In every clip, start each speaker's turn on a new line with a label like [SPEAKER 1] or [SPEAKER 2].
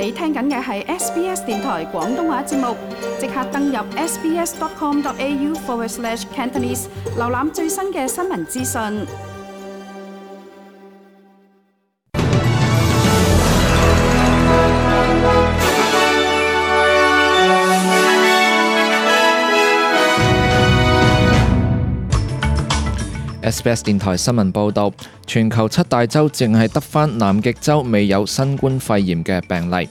[SPEAKER 1] 你聽緊嘅係 SBS 電台廣東話節目，即刻登入 sbs.com.au/Cantonese 瀏覽最新嘅新聞資訊。
[SPEAKER 2] SBS 電台新聞報導，全球7大洲淨係得返南極洲未有新冠肺炎嘅病例。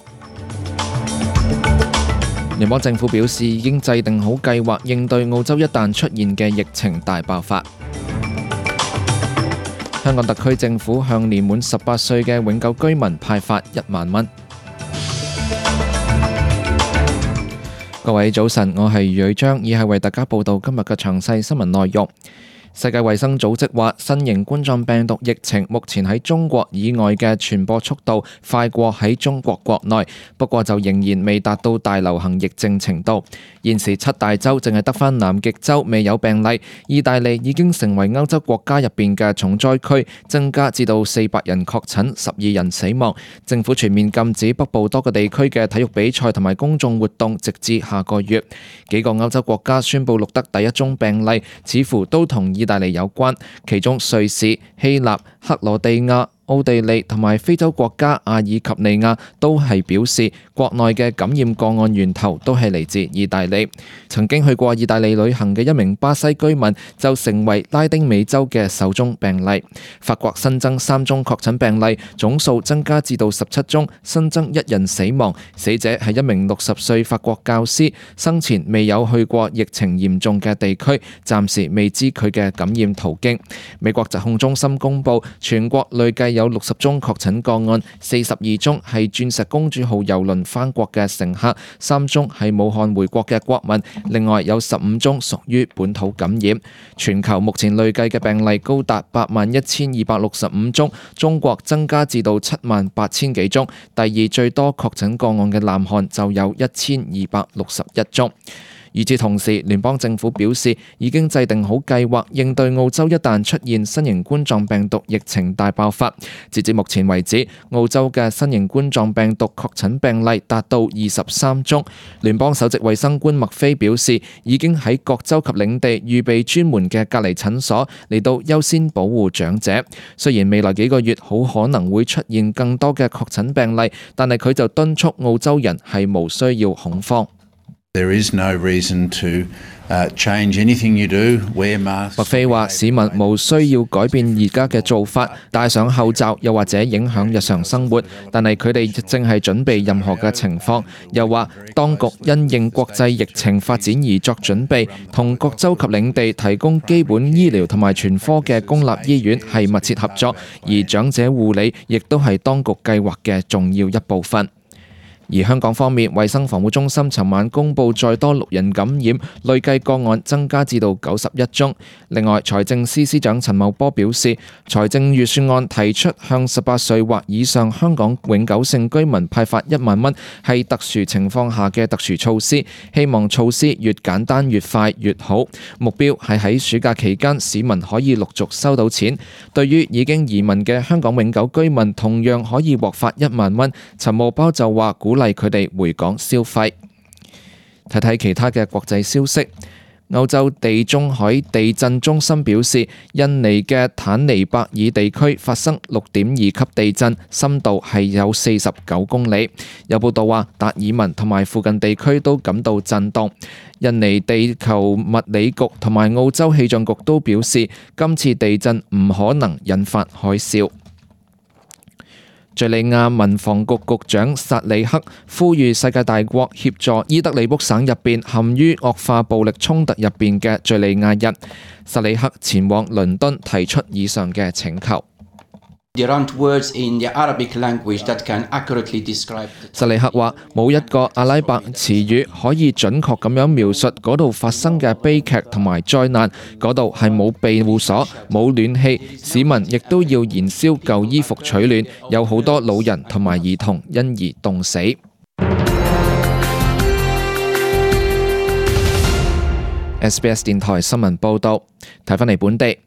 [SPEAKER 2] 聯邦政府表示已經制定好計劃應對澳洲一旦出現嘅疫情大爆發。香港特區政府向年滿18歲嘅永久居民派發1萬蚊。各位早晨，我係余偉章，以下為大家報道今日嘅詳細新聞內容。世界衛生組織話，新型冠狀病毒疫情目前喺中國以外嘅傳播速度快過喺中國國內，不過就仍然未達到大流行疫症程度。現時7大洲淨係得返南極洲未有病例，意大利已經成為歐洲國家入邊嘅重災區，增加至到400人確診，12人死亡。政府全面禁止北部多個地區嘅體育比賽同埋公眾活動，直至下個月。幾個歐洲國家宣布錄得第一宗病例，似乎都同意大利有關，其中瑞士、希臘、克羅地亞、奧地利同埋非洲國家阿爾及利亞都係表示國內嘅感染個案源頭都係嚟自意大利。曾經去過意大利旅行嘅一名巴西居民就成為拉丁美洲嘅首宗病例。法國新增3宗確診病例，總數增加至到17宗，新增1人死亡。死者係一名60歲法國教師，生前未有去過疫情嚴重嘅地區，暫時未知佢嘅感染途徑。美國疾控中心公布全國累計有60宗確診個案，42宗係鑽石公主號郵輪返國嘅乘客，3宗係武漢回國嘅國民，另外有15宗屬於本土感染。全球目前累計嘅病例高達81265宗，中國增加至到78000幾宗，第二最多確診個案嘅南韓就有1261宗。與此同時，聯邦政府表示已經制定好計劃應對澳洲一旦出現新型冠狀病毒疫情大爆發。截至目前為止，澳洲嘅新型冠狀病毒確診病例達到23宗。聯邦首席衛生官麥菲表示，已經喺各州及領地預備專門嘅隔離診所嚟到優先保護長者。雖然未來幾個月好可能會出現更多嘅確診病例，但係佢就敦促澳洲人係無需要恐慌。麥菲話：市民無需要改變而家嘅做法，戴上口罩又或者影響日常生活，但係佢哋正係準備任何嘅情況。又話當局因應國際疫情發展而作準備，同各州及領地提供基本醫療同埋全科嘅公立醫院係密切合作，而長者護理亦都係當局計劃嘅重要一部分。而香港方面，衛生防護中心尋晚公布再多6人感染，累計個案增加至到91宗。另外，財政司司長陳茂波表示，財政預算案提出向18歲或以上香港永久性居民派發1萬蚊，係特殊情況下嘅特殊措施，希望措施越簡單越快越好。目標係喺暑假期間，市民可以陸續收到錢。對於已經移民嘅香港永久居民，同樣可以獲發1萬蚊。陳茂波就話鼓勵佢哋回港消費。睇睇其他嘅國際消息。歐洲地中海地震中心表示，印尼嘅坦尼伯爾地區發生6.2級地震，深度係有49公里。有報道話，達爾文同埋附近地區都感到震動。印尼地球物理局同埋澳洲氣象局都表示，今次地震唔可能引發海嘯。敘利亞民防局局長薩里克呼籲世界大國協助伊德利卜省入邊陷於惡化暴力衝突入邊嘅敘利亞人。薩里克前往倫敦提出以上嘅請求。薩里克話：冇一個阿拉伯詞語可以準確咁樣描述嗰度發生嘅悲劇同埋災難。嗰度係冇庇護所、冇暖氣，市民亦都要燃燒舊衣服取暖，有好多老人同埋兒童因而凍死。SBS 電台新聞報導，睇返嚟本地。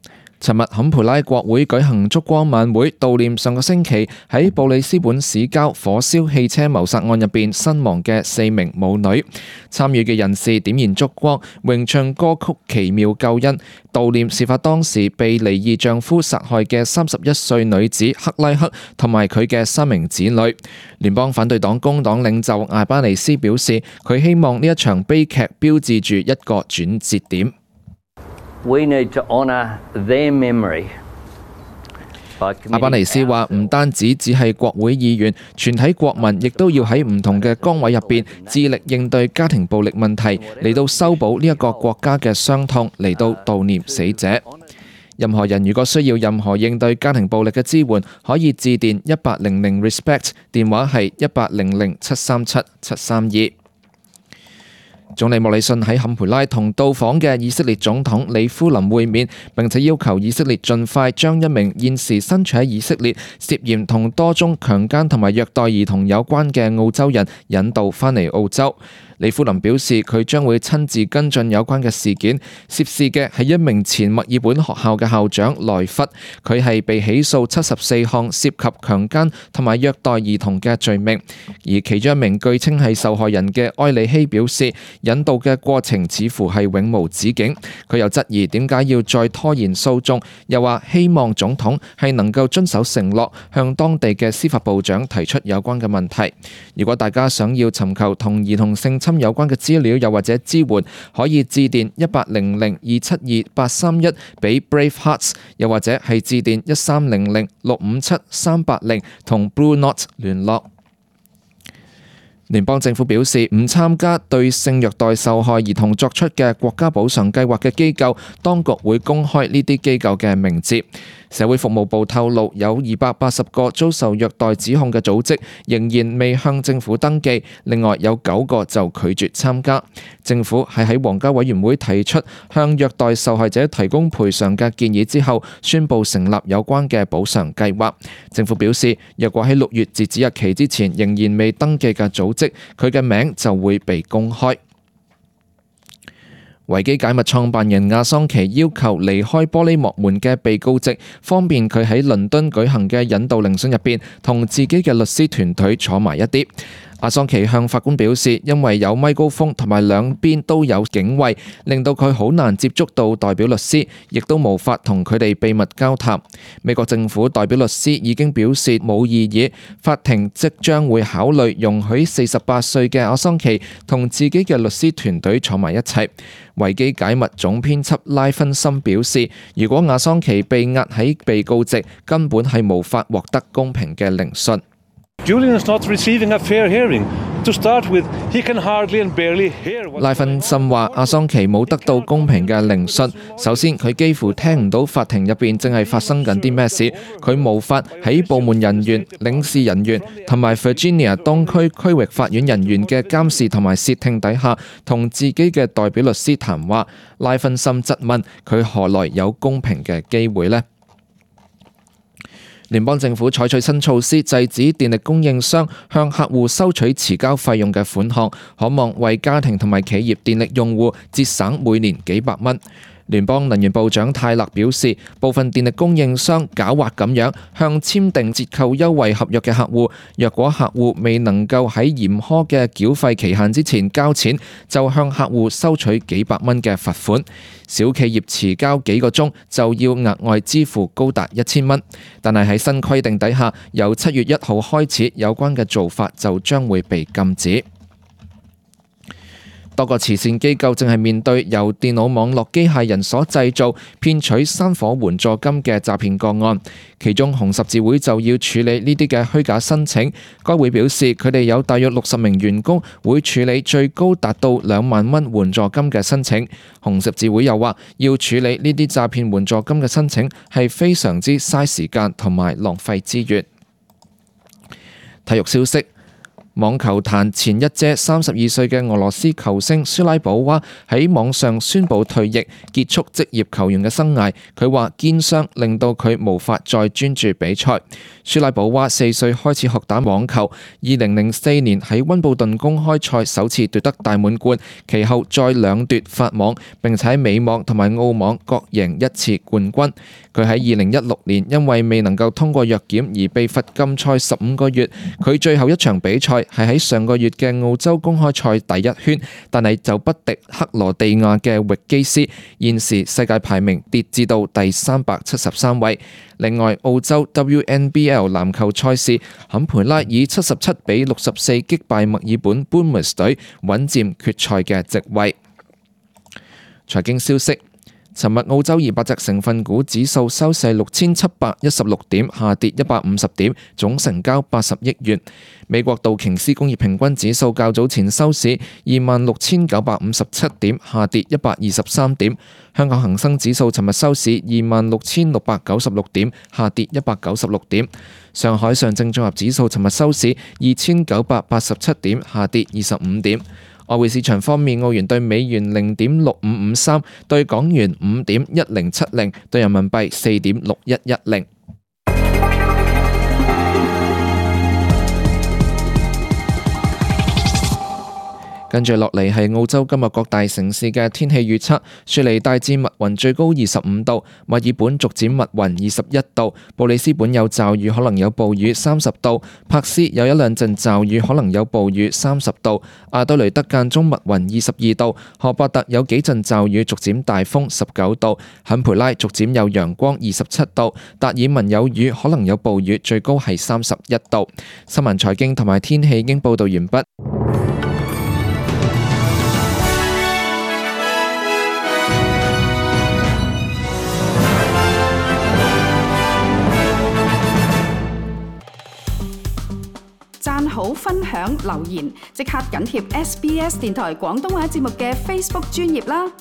[SPEAKER 2] 尋日坎培拉國會舉行燭光晚會，悼念上個星期喺布里斯本市郊火燒汽車謀殺案入邊身亡嘅4名母女。參與嘅人士點燃燭光，詠唱歌曲《奇妙救恩》，悼念事發當時被離異丈夫殺害嘅31歲女子克拉克同埋佢嘅3名子女。聯邦反對黨工黨領袖艾巴尼斯表示，佢希望呢一場悲劇標誌住一個轉折點。
[SPEAKER 3] We need to honor their memory.
[SPEAKER 2] 阿巴尼斯話：唔單止只係國會議員，全體國民亦都要喺唔同嘅崗位入邊，致力應對家庭暴力問題，嚟到修補呢一個國家嘅傷痛，嚟到悼念死者。任何人如果需要任何應對家庭暴力嘅支援，可以致電1800 RESPECT， 電話係1800-737-732。總理莫里遜喺坎培拉同到訪嘅以色列總統里夫林會面，並且要求以色列盡快將一名現時身處喺以色列、涉嫌同多宗強姦同埋虐待兒童有關嘅澳洲人引渡返嚟澳洲。里夫林表示，佢將會親自跟進有關嘅事件。涉事嘅係一名前墨爾本學校嘅校長萊弗，佢係被起訴74項涉及強姦同埋虐待兒童嘅罪名。而其中一名據稱係受害人嘅埃里希表示，引渡嘅過程似乎係永無止境。佢又質疑點解要再拖延訴訟，又話希望總統係能夠遵守承諾，向當地嘅司法部長提出有關嘅問題。如果大家想要尋求同兒童性侵有關嘅資料又或者支援，可以致電1800-272-831俾 Brave Hearts， 又或者係致電1300-657-380同 Blue Knot 聯絡。聯邦政府表示，唔參加對性虐待受害兒童作出嘅國家補償計劃嘅機構，當局會公開呢啲機構嘅名字。社會服務部透露，有280個遭受虐待指控嘅組織仍然未向政府登記，另外有9個就拒絕參加。政府係喺皇家委員會提出向虐待受害者提供賠償嘅建議之後，宣布成立有關嘅補償計劃。政府表示，若果喺6月截止日期之前仍然未登記嘅組織，佢嘅名就會被公開。維基解密創辦人阿桑奇要求離開玻璃幕門嘅被告席，方便佢喺倫敦舉行嘅引渡聆訊入邊同自己嘅律師團隊坐埋一啲。阿桑奇向法官表示，因為有咪高峰同埋兩邊都有警衛，令到佢好難接觸到代表律師，亦都無法同佢哋秘密交談。美國政府代表律師已經表示冇異議，法庭即將會考慮容許48歲嘅阿桑奇同自己嘅律師團隊坐埋一齊。維基解密總編輯拉芬森表示，如果阿桑奇被押喺被告席，根本係無法獲得公平嘅聆訊。拉芬森話：阿桑奇冇得到公平嘅聆訊。首先，佢幾乎聽唔到法庭入邊正係發生緊啲咩事，佢無法喺部門人員、領事人員同埋 Virginia 東區區域法院人員嘅監視同埋竊聽底下，同自己嘅代表律師談話。拉芬森質問佢何來有公平嘅機會呢？聯邦政府採取新措施，制止電力供應商向客戶收取遲交費用嘅款項，可望為家庭同埋企業電力用戶節省每年幾百蚊。聯邦能源部長泰勒表示，部分電力供應商狡猾咁樣向簽訂折扣優惠合約嘅客戶，若果客戶未能夠喺嚴苛嘅繳費期限之前交錢，就向客戶收取幾百蚊嘅罰款。小企業遲交幾個鐘就要額外支付高達1000蚊。但係喺新規定底下，由7月1號開始，有關嘅做法就將會被禁止。多個慈善機構正係面對由電腦網絡機械人所製造騙取山火援助金嘅詐騙個案，其中紅十字會就要處理呢啲嘅虛假申請。該會表示，佢哋有大約60名員工會處理最高達到2萬蚊援助金嘅申請。紅十字會又話，要處理呢啲詐騙援助金嘅申請係非常之嘥時間同埋浪費資源。體育消息。網球壇前一姐32歲嘅俄羅斯球星舒拉保娃喺網上宣布退役，結束職業球員嘅生涯。佢話肩傷令到佢無法再專注比賽。舒拉保娃4歲開始學打網球，2004年喺溫布頓公開賽首次奪得大滿貫，其後再兩奪法網，並且喺美網同埋澳網各贏1次冠軍。佢喺2016年因為未能夠通過藥檢而被罰禁賽15個月。佢最後一場比賽係喺上個月嘅澳洲公開賽第一圈，但係就不敵克羅地亞嘅域基斯，現時世界排名跌至到第373位。另外，澳洲 WNBL 籃球賽事，坎培拉以77比64擊敗墨爾本 Boomers 隊，穩佔決賽嘅席位。財經消息。尋日澳洲200隻成分股指數收市6716點，下跌150點，總成交80億元。美國道瓊斯工業平均指數較早前收市26957點，下跌123點。香港恒生指數尋日收市26696點，下跌196點。上海上證綜合指數尋日收市2987點，下跌25點。外匯市場方面，澳元對美元0.6553，對港元5.1070，對人民幣4.6110。跟住落嚟係澳洲今日各大城市嘅天氣預測。雪梨大致密雲，最高25度；墨爾本逐漸密雲，21度；布里斯本有驟雨，可能有暴雨，30度；柏斯有一兩陣驟雨，可能有暴雨，30度；阿德雷德間中密雲，22度；荷伯特有幾陣驟雨，逐漸大風，19度；坎培拉逐漸有陽光，27度；達爾文有雨，可能有暴雨，最高係31度。新聞財經同埋天氣已經報道完畢。
[SPEAKER 1] 讚好、分享、留言，即刻緊貼SBS 電台廣東話節目嘅 Facebook 專頁啦！